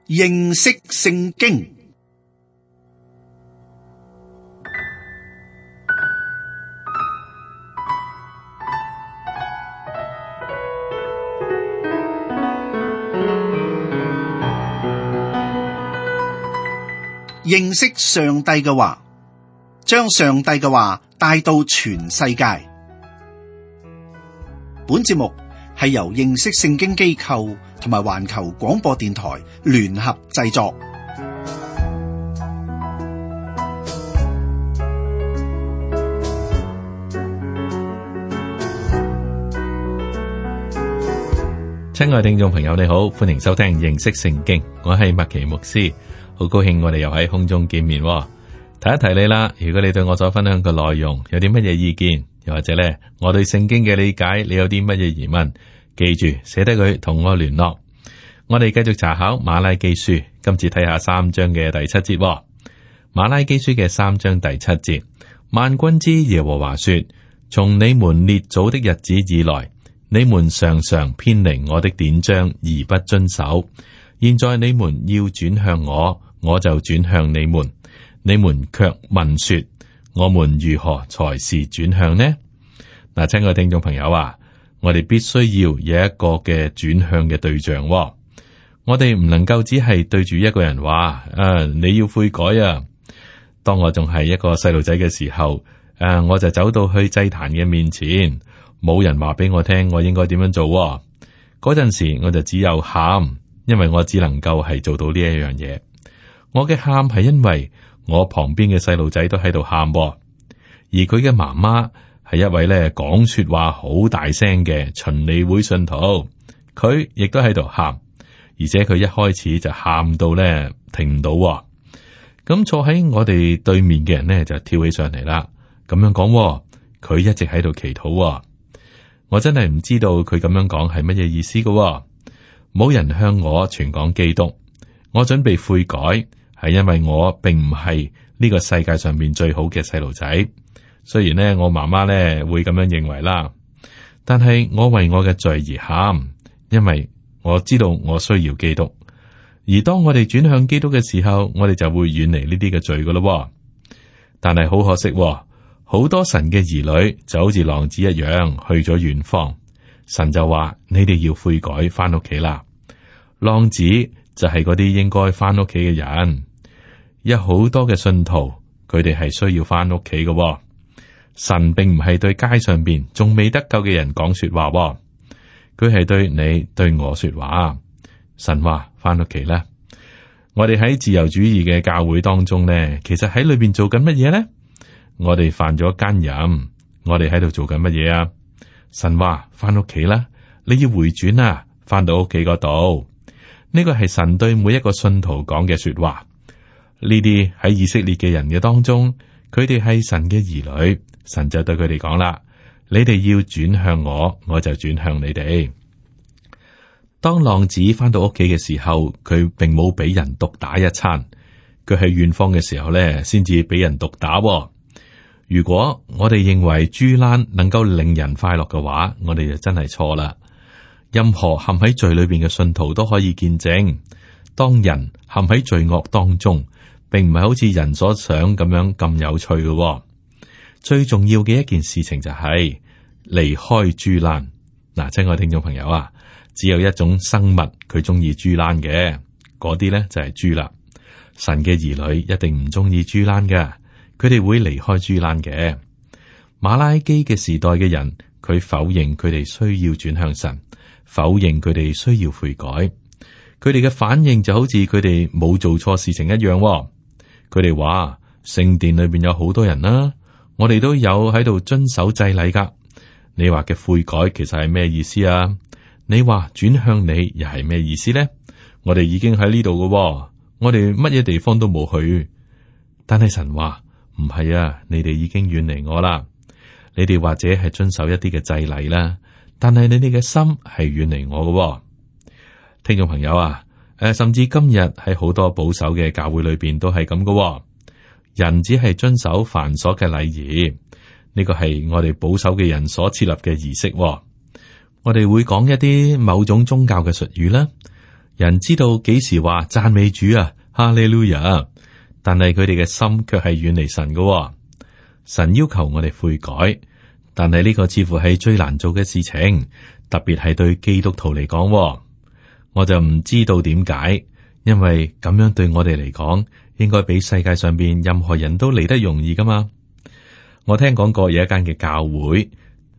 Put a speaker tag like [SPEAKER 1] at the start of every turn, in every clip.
[SPEAKER 1] 認識聖經。認識上帝嘅話，將上帝嘅話帶到全世界。本節目係由認識聖經機構同埋環球廣播電台聯合製作。
[SPEAKER 2] 親愛聽眾朋友，你好，歡迎收聽認識聖經，我係麥奇牧師。好高興我哋又喺空中見面，提一提你啦。如果你對我所分享嘅內容有啲乜嘢意見，又或者咧我對聖經嘅理解，你有啲乜嘢疑問，記住寫低佢同我聯絡。我哋繼續查考馬拉基書，今次睇下3章嘅第7節。馬拉基書嘅3章第7節，萬軍之耶和華說：從你們列祖的日子以來，你們常常偏離我的典章而不遵守。現在你們要轉向我，我就轉向你們。你們卻問說：我們如何才是轉向呢？嗱，親愛聽眾朋友啊，我哋必須要有一個嘅轉向嘅對象。我哋唔能夠只係對住一個人話：你要悔改啊！當我仲係一個細路仔嘅時候，我就走到去祭壇嘅面前，冇人話俾我聽我應該點樣做。嗰陣時我就只有喊，因為我只能夠係做到呢一樣嘢。我嘅喊係因為我旁邊嘅細路仔都喺度喊，而佢嘅媽媽係一位咧講說話好大聲嘅循理會信徒，佢亦都喺度喊，而且佢一開始就喊到咧停唔到。咁坐喺我哋對面嘅人呢，就跳起上嚟啦，咁樣講，佢一直喺度祈禱。我真係唔知道佢咁樣講係乜嘢意思㗎。冇人向我傳講基督，我準備悔改，係因為我並唔係呢個世界上面最好嘅細路仔。雖然呢，我媽媽呢會咁樣認為啦，但係我為我嘅罪而喊，因為我知道我需要基督。而當我哋轉向基督嘅時候，我哋就會遠離呢啲嘅罪噶咯。但係好可惜，好多神嘅兒女就好似浪子一樣去咗遠方。神就話：你哋要悔改，翻屋企啦。浪子就係嗰啲應該翻屋企嘅人。有好多嘅信徒，佢哋係需要翻屋企嘅。神並唔係對街上邊仲未得救嘅人講說話，佢係對你對我說話。神話翻屋企啦。我哋喺自由主義嘅教會當中呢，其實喺裏邊做緊乜嘢呢？我哋犯咗奸淫，我哋喺度做緊乜嘢啊？神話翻屋企啦，你要回轉啊，翻到屋企嗰度。呢個係神對每一個信徒講嘅說話。呢啲喺以色列嘅人嘅當中，佢哋係神嘅兒女，神就對佢哋講啦：你哋要轉向我，我就轉向你哋。當浪子翻到屋企嘅時候，佢並冇俾人毒打一餐，佢喺遠方嘅時候咧，先至俾人毒打。如果我哋認為豬欄能夠令人快樂嘅話，我哋就真係錯啦。任何陷喺罪裏邊嘅信徒都可以見證，當人陷喺罪惡當中，並唔係好似人所想咁樣咁有趣嘅。最重要嘅一件事情就係離開豬欄。嗱，親愛聽眾朋友啊，只有一種生物佢中意豬欄嘅，嗰啲咧就係豬啦。神嘅兒女一定唔中意豬欄嘅。佢哋會離開豬欄嘅。馬拉基嘅時代嘅人，佢否認佢哋需要轉向神，否認佢哋需要悔改。佢哋嘅反應就好似佢哋冇做錯事情一樣。佢哋話聖殿裏邊有好多人啦，我哋都有喺度遵守祭禮噶。你話嘅悔改其實係咩意思啊？你話轉向你又係咩意思呢？我哋已經喺呢度噶，我哋乜嘢地方都冇去。但係神話。唔係啊，你哋已經遠離我啦。你哋或者係遵守一啲嘅祭禮啦，但係你哋嘅心係遠離我嘅。聽眾朋友啊，甚至今日喺好多保守嘅教會裏邊都係咁嘅。人只係遵守繁瑣嘅禮儀，呢個係我哋保守嘅人所設立嘅儀式。我哋會講一啲某種宗教嘅術語啦，人知道幾時話讚美主啊，哈利路亞，但係佢哋嘅心卻係遠離神嘅。神要求我哋悔改，但係呢個似乎係最難做嘅事情，特別係對基督徒嚟講。我就唔知道點解，因為咁樣對我哋嚟講，應該比世界上邊任何人都嚟得容易噶嘛。我聽講過有一間嘅教會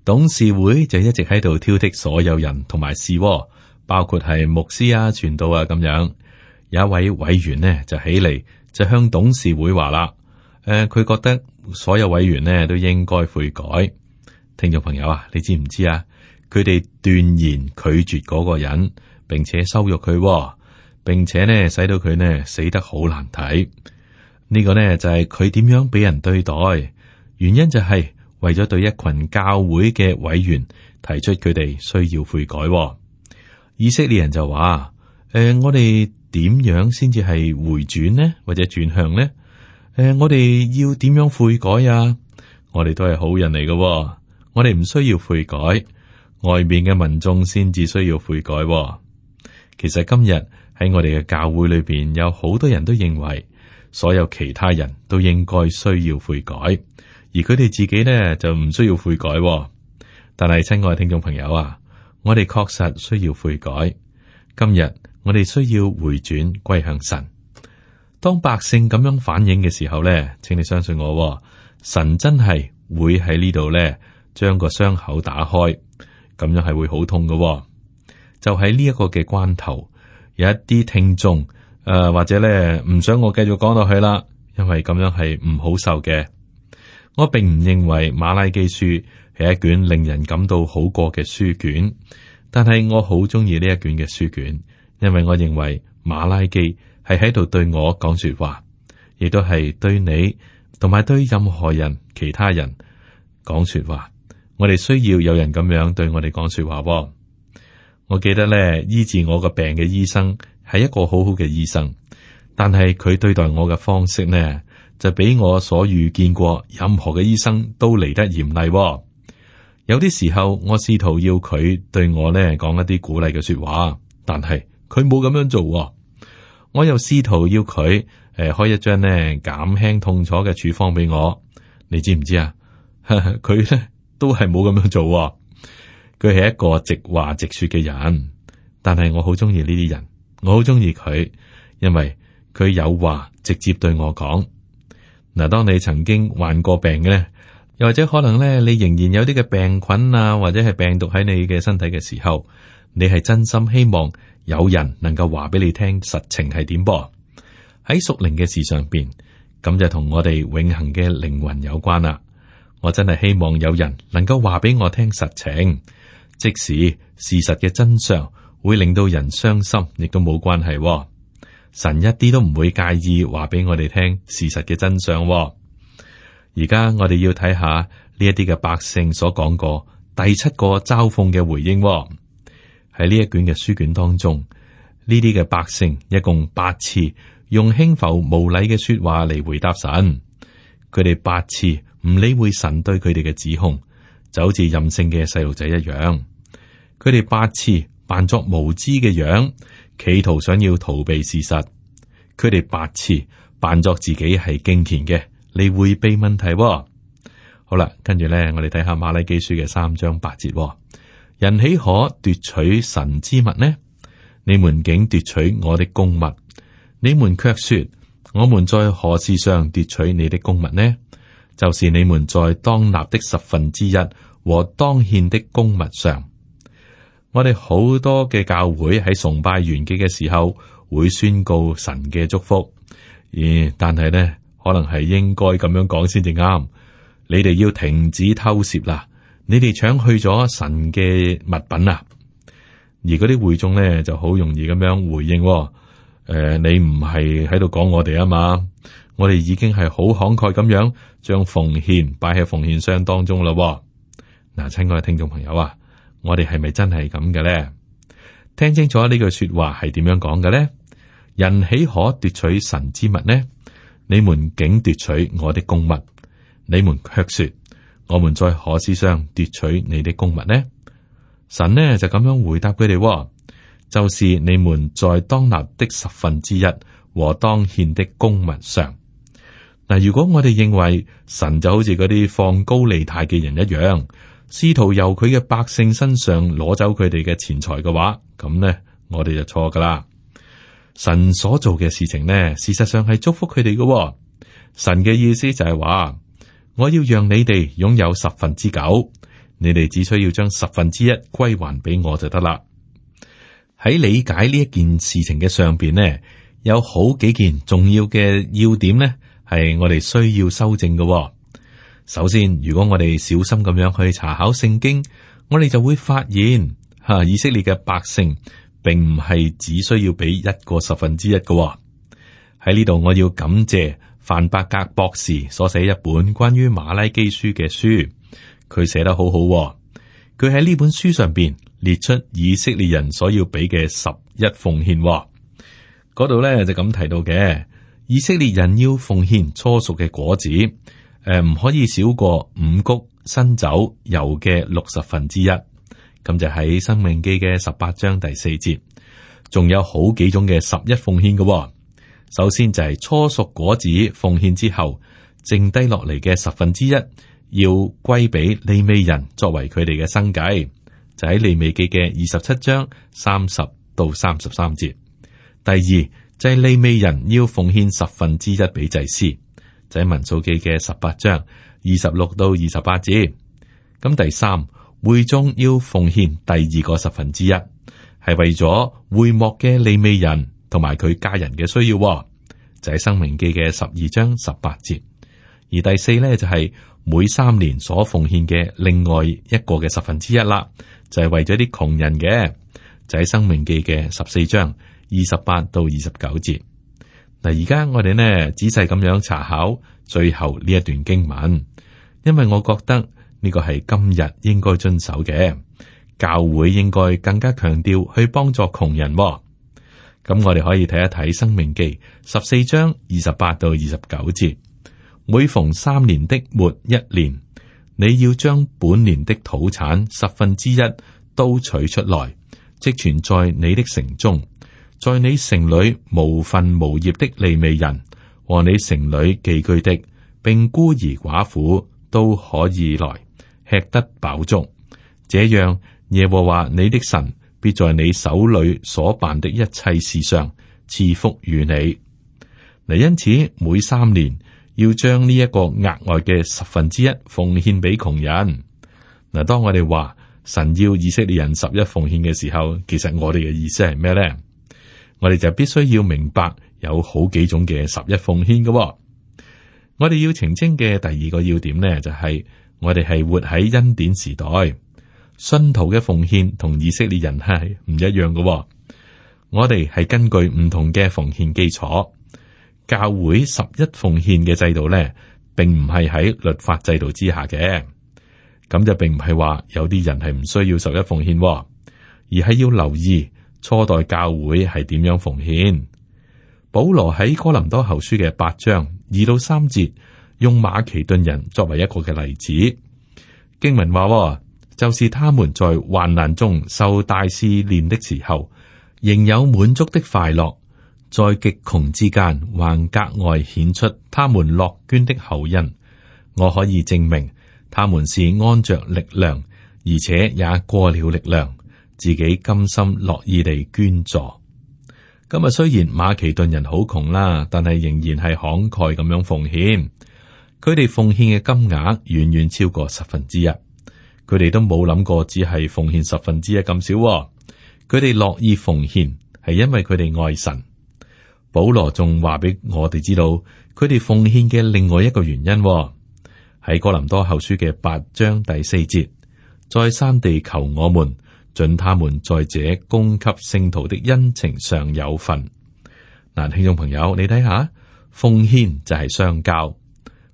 [SPEAKER 2] 董事會就一直喺度挑剔所有人同埋事，包括係牧師啊、傳道啊咁樣。有一位委員呢就起嚟就向董事會話啦，佢覺得所有委員呢都應該悔改。聽眾朋友啊，你知唔知啊？佢哋斷然拒絕嗰個人，並且羞辱佢，並且呢使到佢呢死得好難睇。呢個呢就係佢點樣俾人對待，原因就係為咗對一群教會嘅委員提出佢哋需要悔改。以色列人就話：我哋點樣先至係回轉呢？或者轉向呢？我哋要點樣悔改啊？我哋都係好人嚟嘅，我哋唔需要悔改，外面嘅民眾先至需要悔改。其實今日喺我哋嘅教會裏邊，有好多人都認為所有其他人都應該需要悔改，而佢哋自己呢就唔需要悔改。但係親愛嘅聽眾朋友啊，我哋確實需要悔改。今日我哋需要回轉歸向神。當百姓咁樣反應嘅時候呢，請你相信我，神真係會喺呢度呢將個傷口打開，咁樣係會好痛嘅。就喺呢一個嘅關頭，有一啲聽眾或者呢唔想我繼續講落去啦，因為咁樣係唔好受嘅。我並唔認為馬拉基書係一卷令人感到好過嘅書卷，但係我好中意呢一卷嘅書卷，因為我認為馬拉基係喺度對我講說話，亦都係對你同埋對任何人、其他人講說話。我哋需要有人咁樣對我哋講說話。我記得咧，醫治我個病嘅醫生係一個好好嘅醫生，但係佢對待我嘅方式呢，就比我所遇見過任何嘅醫生都嚟得嚴厲。有啲時候，我試圖要佢對我呢講一啲鼓勵嘅說話，但係佢冇咁樣做。我又試圖要佢開一張呢減輕痛楚嘅處方俾我，你知唔知啊？佢呢都係冇咁樣做。佢係一個直話直說嘅人，但係我好中意呢啲人，我好中意佢，因為佢有話直接對我講。嗱，當你曾經患過病嘅咧，又或者可能咧，你仍然有啲嘅病菌啊，或者係病毒喺你嘅身體嘅時候，你係真心希望有人能夠話俾你聽實情係點噃？喺屬靈嘅事上邊，咁就同我哋永恆嘅靈魂有關啦。我真係希望有人能夠話俾我聽實情，即使事實嘅真相會令到人傷心，亦都冇關係。神一啲都唔會介意話俾我哋聽事實嘅真相。而家我哋要睇下呢一啲嘅百姓所講過第7個嘲諷嘅回應。喺呢一卷嘅書卷當中，呢啲嘅百姓一共8次用輕浮無禮嘅說話嚟回答神。佢哋8次唔理會神對佢哋嘅指控，就好似任性嘅細路仔一樣。佢哋8次扮作無知嘅樣，企圖想要逃避事實。佢哋8次扮作自己係敬虔嘅嚟回避問題。好啦，跟住咧，我哋睇下馬拉基書嘅3章8節。人豈可奪取神之物呢？你們竟奪取我的公物。你們卻說，我們在何事上奪取你的公物呢？就是你們在當納的1/10和當獻的公物上。我哋好多嘅教會喺崇拜完結嘅時候會宣告神嘅祝福，但係呢，可能係應該咁樣講先至啱。你哋要停止偷竊啦！你哋搶去咗神嘅物品啊！而嗰啲會眾呢就好容易咁樣回應，你唔係喺度講我哋啊嘛？我哋已經係好慷慨咁樣將奉獻擺喺奉獻箱當中啦。嗱，親愛嘅聽眾朋友啊，我哋係咪真係咁嘅咧？聽清楚呢句說話係點樣講嘅咧？人豈可奪取神之物呢？你們竟奪取我的公物，你們卻說，我們在何事上奪取你的公物呢？神呢就咁樣回答佢哋，就是你們在當納的1/10和當獻的公物上。嗱，如果我哋認為神就好似嗰啲放高利貸嘅人一樣，試圖由佢嘅百姓身上攞走佢哋嘅錢財嘅話，咁呢，我哋就錯噶啦。神所做嘅事情呢，事實上係祝福佢哋嘅。神嘅意思就係話，我要讓你哋擁有9/10，你哋只需要將1/10歸還俾我就得啦。喺理解呢一件事情嘅上邊呢，有好幾件重要嘅要點呢，係我哋需要修正嘅。首先，如果我哋小心咁樣去查考聖經，我哋就會發現以色列嘅百姓並唔係只需要俾1個1/10嘅。喺呢度，我要感謝范伯格博士所寫一本關於馬拉基書嘅書，佢寫得好好。佢喺呢本書上邊列出以色列人所要俾嘅11奉獻，嗰度咧就咁提到嘅。以色列人要奉獻初熟嘅果子，唔可以少過五穀、新酒、油嘅1/60，咁就喺申命記嘅18章第4節。仲有好幾種嘅11奉獻嘅。首先就係初熟果子奉獻之後，剩低落嚟嘅1/10要歸俾利未人作為佢哋嘅生計，就喺利未記嘅27章30到33節。第二就係利未人要奉獻1/10俾祭司，就喺民數記嘅18章26到28節。咁第三，會眾要奉獻第2個1/10，係為咗會幕嘅利未人同埋佢家人嘅需要，就喺申命記嘅12章18節。而第四咧就係每3年所奉獻嘅另外一個嘅1/10啦，就係為咗啲窮人嘅，就喺申命記嘅14章28到29節。嗱，而家我哋呢仔細咁樣查考最後呢一段經文，因為我覺得呢個係今日應該遵守嘅，教會應該更加強調去幫助窮人。咁我哋可以睇一睇申命記14章28到29節。每逢3年的末1年，你要將本年的土產1/10都取出來，積存在你的城中。在你城裏無分無業的利未人和你城裏寄居的，並孤兒寡婦都可以來吃得飽足。這樣，耶和華你的神必在你手裏所辦的一切事上賜福與你。嗱，因此每3年要將呢一個額外嘅1/10奉獻俾窮人。嗱，當我哋話神要以色列人11奉獻嘅時候，其實我哋嘅意思係咩咧？我哋就必須要明白有好幾種嘅11奉獻嘅。我哋要澄清嘅第二個要點呢，就係我哋係活喺恩典時代，信徒嘅奉獻同以色列人係唔一樣嘅。我哋係根據唔同嘅奉獻基礎，教會11奉獻嘅制度呢，並唔係喺律法制度之下嘅。咁就並唔係話有啲人係唔需要11奉獻，而係要留意初代教會係點樣奉獻。保羅喺哥林多後書嘅8章2到3節，用馬其頓人作為一個嘅例子。經文話，就是他們在患難中受大試煉的時候，仍有滿足的快樂，在極窮之間還格外顯出他們樂捐的厚恩。我可以證明他們是按着力量，而且也過了力量，自己甘心樂意地捐助。咁啊，雖然馬其頓人好窮啦，但係仍然係慷慨咁樣奉獻。佢哋奉獻嘅金額遠遠超過1/10，佢哋都冇諗過只係奉獻1/10咁少。佢哋樂意奉獻，係因為佢哋愛神。保羅仲話俾我哋知道，佢哋奉獻嘅另外一個原因，喺哥林多後書嘅8章第4節，再三地求我們，准他們在這供給聖徒的恩情上有份。嗱，聽眾朋友，你睇下，奉獻就係相交，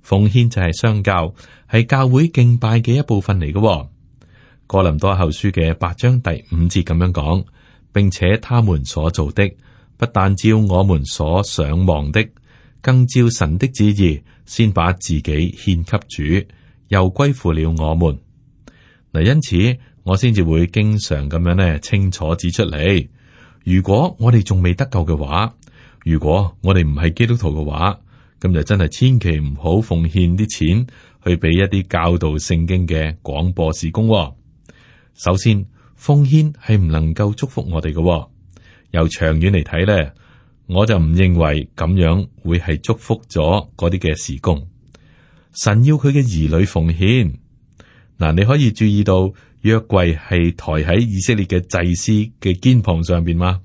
[SPEAKER 2] 奉獻就係相交，係教會敬拜嘅一部分嚟嘅。哥林多後書嘅8章第5節咁樣講，並且他們所做的，不但照我們所想望的，更照神的旨意，先把自己獻給主，又歸附了我們。嗱，因此我先至會經常咁樣清楚指出嚟，如果我哋仲未得救嘅話，如果我哋唔係基督徒嘅話，咁就真係千祈唔好奉獻啲錢去俾一啲教導聖經嘅廣播事工。首先，奉獻係唔能夠祝福我哋嘅。由長遠嚟睇咧，我就唔認為咁樣會係祝福咗嗰啲嘅事工。神要佢嘅兒女奉獻。嗱，你可以注意到約櫃係抬喺以色列嘅祭司嘅肩膀上邊嗎？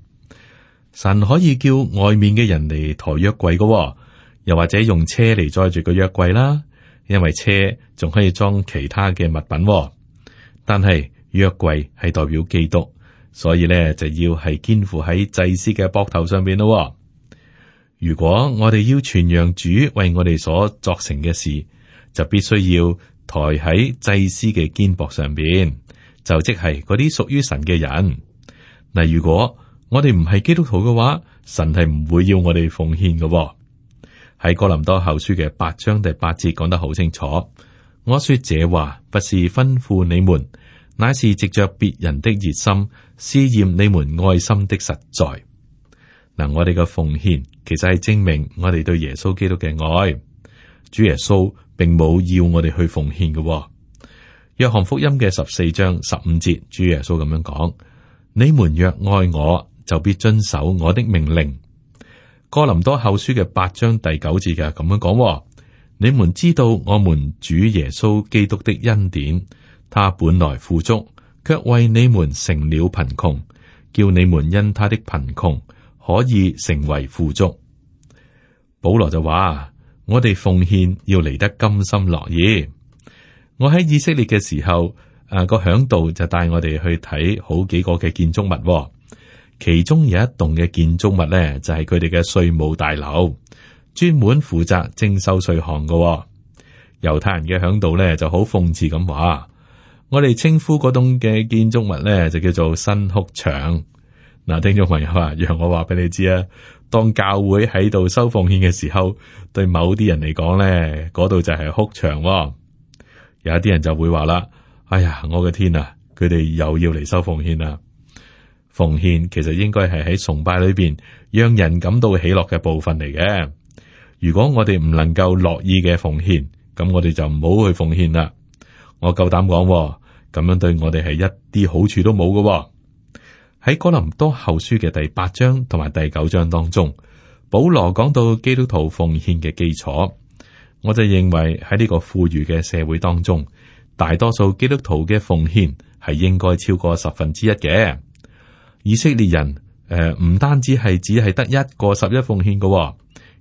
[SPEAKER 2] 神可以叫外面嘅人嚟抬約櫃嘅，又或者用車嚟載住個約櫃啦，因為車仲可以裝其他嘅物品。但係約櫃係代表基督，所以咧就要係肩負喺祭司嘅膊頭上邊咯。如果我哋要傳揚主為我哋所作成嘅事，就必須要抬喺祭司嘅肩膊上邊，就即係嗰啲屬於神嘅人。嗱，如果我哋唔係基督徒嘅話，神係唔會要我哋奉獻嘅。喺哥林多後書嘅8章第8節講得好清楚。我說這話不是吩咐你們，乃是藉着別人的熱心試驗你們愛心的實在。嗱，我哋嘅奉獻其實係證明我哋對耶穌基督嘅愛。主耶穌並冇要我哋去奉獻嘅。約翰福音嘅14章15節，主耶穌咁樣講：你們若愛我，就必遵守我的命令。哥林多後書嘅8章第9節嘅咁樣講：你們知道我們主耶穌基督的恩典，他本來富足，卻為你們成了貧窮，叫你們因他的貧窮可以成為富足。保羅就話：我哋奉獻要嚟得甘心樂意。我喺以色列嘅時候，個嚮導就帶我哋去睇好幾個嘅建築物，其中有一棟嘅建築物咧，就係佢哋嘅稅務大樓，專門負責徵收稅項嘅。猶太人嘅嚮導咧就好諷刺咁話：我哋稱呼嗰棟嘅建築物咧就叫做新哭牆。嗱，聽眾朋友啊，讓我話俾你知啊，當教會喺度收奉獻嘅時候，對某啲人嚟講咧，嗰度就係哭牆。有一啲人就會話啦：哎呀，我嘅天啊，佢哋又要嚟收奉獻啦！奉獻其實應該係喺崇拜裏邊讓人感到喜樂嘅部分嚟嘅。如果我哋唔能夠樂意嘅奉獻，咁我哋就唔好去奉獻啦。我夠膽講，咁樣對我哋係一啲好處都冇嘅。喺哥林多後書嘅第8章同埋第9章當中，保羅講到基督徒奉獻嘅基礎。我就認為喺呢個富裕嘅社會當中，大多數基督徒嘅奉獻係應該超過1/10嘅。以色列人唔單止係只係得一個11奉獻嘅，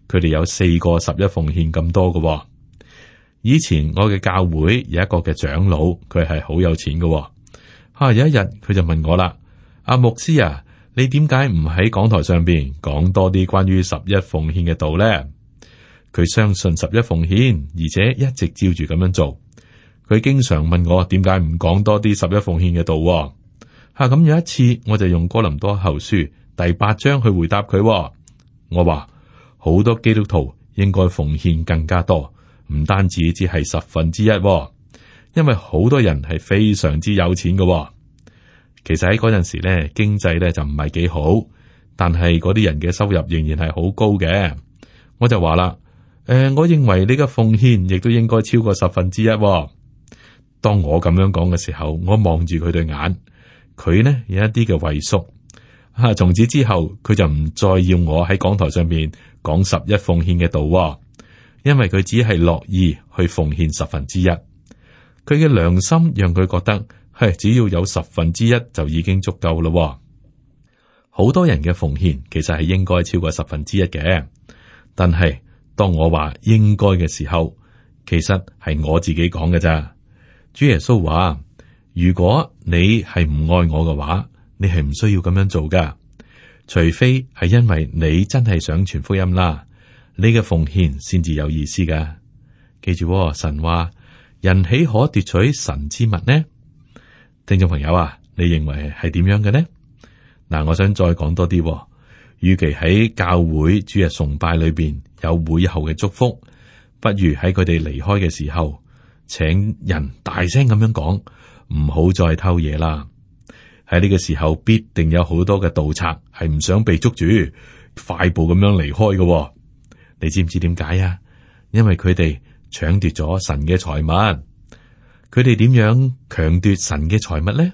[SPEAKER 2] 佢哋有4個11奉獻咁多嘅。以前我嘅教會有一個嘅長老，佢係好有錢嘅。有一日佢就問我啦：阿牧師啊，你點解唔喺講台上邊講多啲關於11奉獻嘅道咧？佢相信11奉獻，而且一直照住咁樣做。佢經常問我點解唔講多啲11奉獻嘅道。咁有一次我就用哥林多後書第8章去回答佢。我話好多基督徒應該奉獻更加多，唔單止只係1/10，因為好多人係非常之有錢嘅。其實喺嗰陣時咧，經濟咧就唔係幾好，但係嗰啲人嘅收入仍然係好高嘅。我就話啦，我認為你嘅奉獻亦都應該超過1/10。當我咁樣講嘅時候，我望住佢對眼，佢呢有一啲嘅畏縮。從此之後，佢就唔再要我喺講台上面講11奉獻嘅道，因為佢只係樂意去奉獻1/10。佢嘅良心讓佢覺得，只要有1/10就已經足夠咯。好多人嘅奉獻其實係應該超過1/10嘅，但係當我話應該嘅時候，其實係我自己講嘅咋。主耶穌話：如果你係唔愛我嘅話，你係唔需要咁樣做噶，除非係因為你真係想傳福音啦，你嘅奉獻先至有意思噶。記住，神話人豈可奪取神之物呢？聽眾朋友啊，你認為係點樣嘅呢？嗱，我想再講多啲。與其喺教會主日崇拜裏邊有會後嘅祝福，不如喺佢哋離開嘅時候，請人大聲咁樣講，唔好再偷嘢啦。喺呢個時候必定有好多嘅盜賊係唔想被捉住，快步咁樣離開嘅。你知唔知點解啊？因為佢哋搶奪咗神嘅財物。佢哋點樣強奪神嘅財物呢？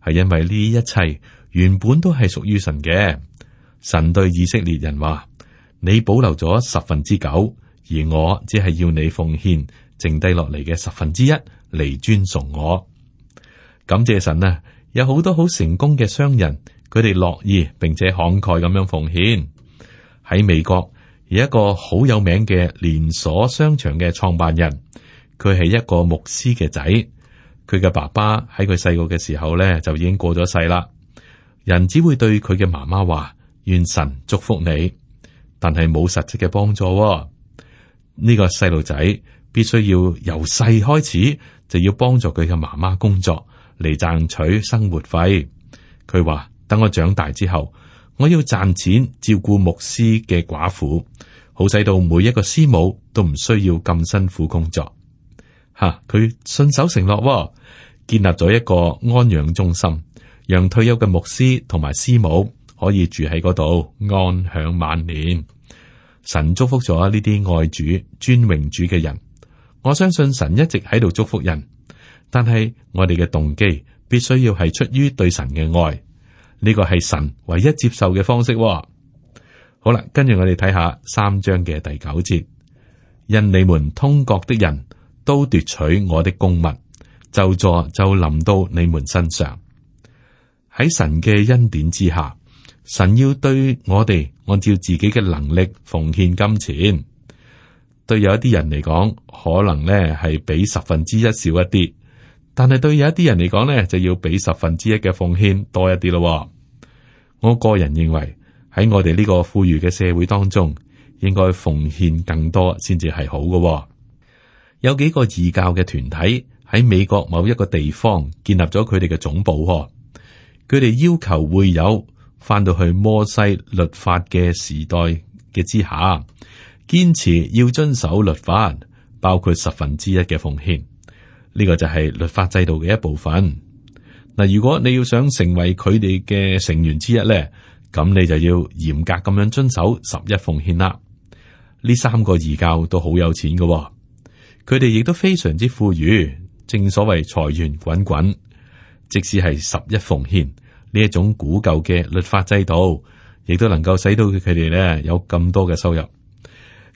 [SPEAKER 2] 係因為呢一切原本都係屬於神嘅。神對以色列人話：你保留咗9%，而我只係要你奉獻剩低落嚟嘅1/10嚟尊崇我。感謝神啊！有好多好成功嘅商人，佢哋樂意並且慷慨咁樣奉獻。喺美國有一個好有名嘅連鎖商場嘅創辦人，佢係一個牧師嘅仔。佢嘅爸爸喺佢細個嘅時候咧就已經過咗世啦。人只會對佢嘅媽媽話：願神祝福你，但係冇實質嘅幫助。呢個細路仔必須要由細開始就要幫助佢嘅媽媽工作嚟賺取生活費。佢話：等我長大之後，我要賺錢照顧牧師嘅寡婦，好使到每一個師母都唔需要咁辛苦工作。佢信守承諾，建立咗一個安養中心，讓退休嘅牧師同埋師母可以住喺嗰度安享晚年。神祝福咗呢啲愛主、尊榮主嘅人。我相信神一直喺度祝福人，但係我哋嘅動機必須要係出於對神嘅愛，呢個係神唯一接受嘅方式。好啦，跟住我哋睇下3章嘅第9節，因你們通國的人都奪取我的供物，咒詛就臨到你們身上。喺神嘅恩典之下，神要對我哋按照自己嘅能力奉獻金錢。對有一啲人嚟講，可能咧係比1/10少一啲，但係對有一啲人嚟講咧，就要比1/10嘅奉獻多一啲咯。我個人認為喺我哋呢個富裕嘅社會當中，應該奉獻更多先至係好嘅。有幾個異教嘅團體喺美國某一個地方建立咗佢哋嘅總部。佢哋要求會友翻到去摩西律法嘅時代嘅之下，堅持要遵守律法，包括1/10嘅奉獻。呢個就係律法制度嘅一部分。嗱，如果你要想成為佢哋嘅成員之一咧，咁你就要嚴格咁樣遵守11奉獻啦。呢3個異教都好有錢嘅，佢哋亦都非常之富裕，正所謂財源滾滾。即使係11奉獻呢一種古舊嘅律法制度，亦都能夠使到佢哋咧有咁多嘅收入。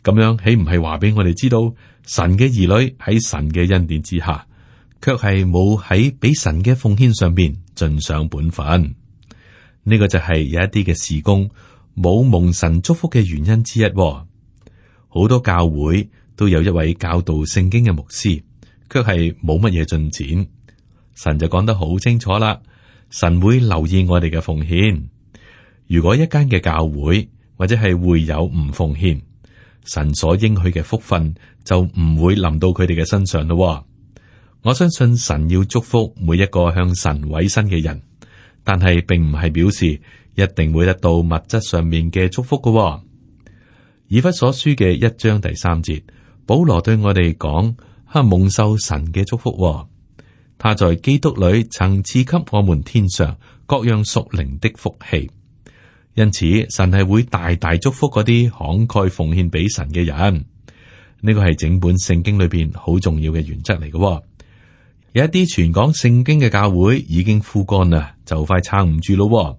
[SPEAKER 2] 咁樣豈唔係話俾我哋知道，神嘅兒女喺神嘅恩典之下，卻係冇喺俾神嘅奉獻上邊盡上本分。呢個就係有一啲嘅事工冇蒙神祝福嘅原因之一。好多教會都有一位教導聖經嘅牧師，卻係冇乜嘢進展。神就講得好清楚啦，神會留意我哋嘅奉獻。如果一間嘅教會或者係會友唔奉獻，神所應許嘅福分就唔會臨到佢哋嘅身上咯。我相信神要祝福每一個向神委身嘅人，但係並唔係表示一定會得到物質上面嘅祝福㗎。以弗所書嘅1章第3節，保羅對我哋講：蒙受神嘅祝福，他在基督裏曾賜給我們天上各樣屬靈的福氣。因此，神係會大大祝福嗰啲慷慨奉獻俾神嘅人。呢個係整本聖經裏邊好重要嘅原則嚟嘅。有一啲傳講聖經嘅教會已經枯乾啦，就快撐唔住咯。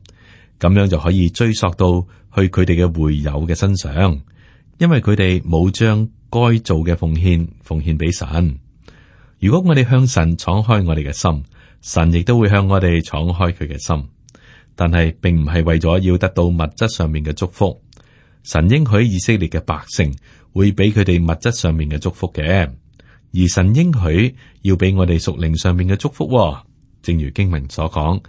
[SPEAKER 2] 咁樣就可以追溯到去佢哋嘅會友嘅身上，因為佢哋冇將該做嘅奉獻俾神。如果我哋向神敞開我哋嘅心，神亦都會向我哋敞開佢嘅心。但係並唔係為咗要得到物質上面嘅祝福。神應許以色列嘅百姓會俾佢哋物質上面嘅祝福嘅，而神應許要俾我哋屬靈上面嘅祝福。正如經文所講，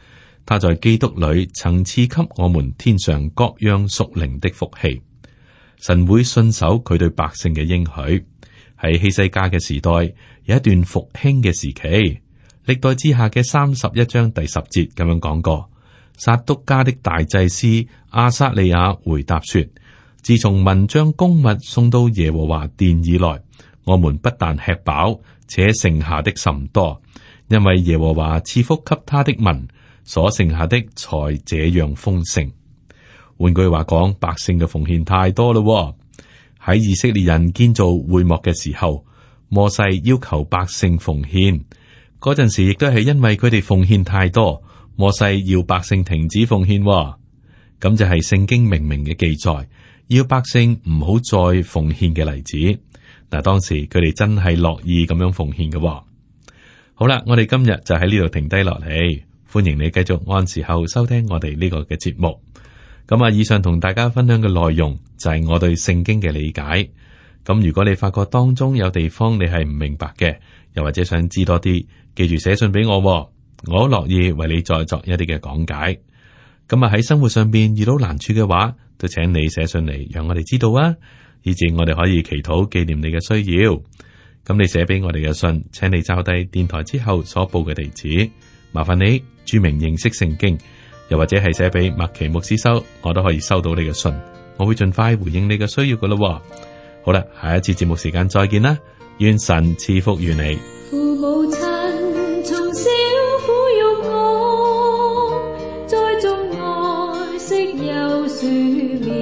[SPEAKER 2] 他在基督裏曾賜給我們天上各樣屬靈的福氣。神會信守佢對百姓嘅應許。喺希西家嘅時代有一段復興嘅時期，歷代志下嘅31章第10節咁樣講過。撒督家的大祭司亞撒利雅回答說：自從民將供物送到耶和華殿以來，我們不但吃飽，且剩下的甚多，因為耶和華賜福給他的民，所剩下的才這樣豐盛。換句話講，百姓嘅奉獻太多咯。喺以色列人建造會幕嘅時候，摩西要求百姓奉獻，嗰陣時亦都係因為佢哋奉獻太多，摩西要百姓停止奉獻。咁就係聖經明明嘅記載，要百姓唔好再奉獻嘅例子。嗱，當時佢哋真係樂意咁樣奉獻嘅。好啦，我哋今日就喺呢度停低落嚟，歡迎你繼續按時候收聽我哋呢個嘅節目。咁啊，以上同大家分享嘅內容就係我對聖經嘅理解。咁如果你發覺當中有地方你係唔明白嘅，又或者想知多啲，記住寫信俾我，我好樂意為你再作一啲嘅講解。咁啊，喺生活上邊遇到難處嘅話，都請你寫信嚟，讓我哋知道啊，以至我哋可以祈禱紀念你嘅需要。咁你寫俾我哋嘅信，請你抄低電台之後所報嘅地址，麻煩你注明認識聖經，又或者係寫俾麥奇牧師收，我都可以收到你嘅信，我會盡快回應你嘅需要噶咯。好啦，下一次節目時間再見啦，願神賜福於你。
[SPEAKER 3] 父母親從小撫育我，栽種愛惜有樹苗，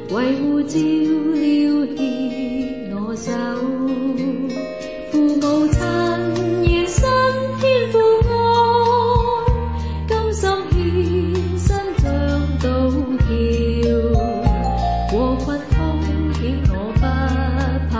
[SPEAKER 3] 維護照料牽我手。父母親願心天父愛，甘心獻身像稻蹺，禍困風險我不怕。